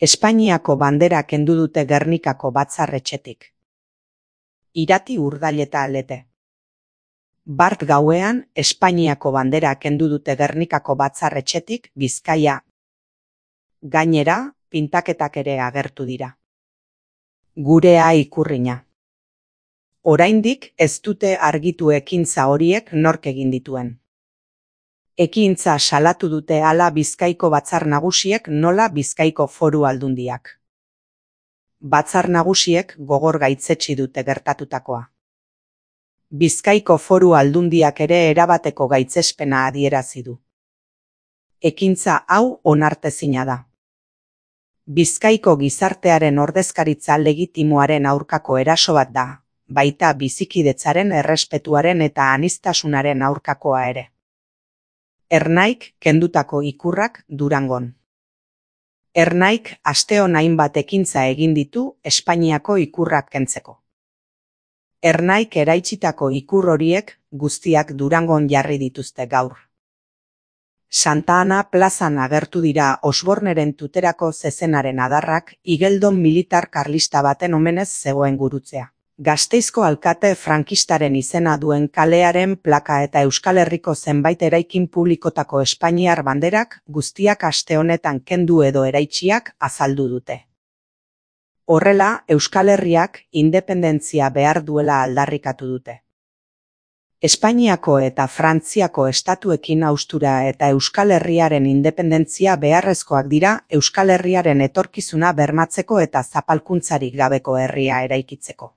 Espainiako bandera kendu dute Gernikako batzar-etxetik. Irati Urdaileta Lete. Bart gauean, Espainiako bandera kendu dute Gernikako batzar-etxetik Bizkaia. Gainera, pintaketak ere agertu dira. Gurea ikurrina. Oraindik ez dute argitu ekintza horiek nork egin dituen. Ekintza salatu dute hala Bizkaiko batzar nagusiek nola Bizkaiko Foru Aldundiak. Batzar nagusiek gogor gaitzetsi dute gertatutakoa. Bizkaiko Foru Aldundiak ere erabateko gaitzespena adierazi du. Ekintza hau onartezina da. Bizkaiko gizartearen ordezkaritza legitimoaren aurkako eraso bat da, baita bizikidetzaren errespetuaren eta aniztasunaren aurkakoa ere. Ernaik kendutako ikurrak Durangon. Ernaik asteon hainbat ekintza egin ditu Espainiako ikurrak kentzeko. Ernaik eraitsitako ikur horiek guztiak Durangon jarri dituzte gaur. Santa Ana plazan agertu dira Osborneren tuterako zezenaren adarrak igeldon militar karlista baten omenez zegoen gurutzea. Gasteizko alkate frankistaren izena duen kalearen plaka eta Euskal Herriko zenbait eraikin publikotako espainiar banderak guztiak aste honetan kendu edo eraitsiak azaldu dute. Horrela, Euskal Herriak independentzia behar duela aldarrikatu dute. Espainiako eta Frantziako estatuekin haustura eta Euskal Herriaren independentzia beharrezkoak dira Euskal Herriaren etorkizuna bermatzeko eta zapalkuntzarik gabeko herria eraikitzeko.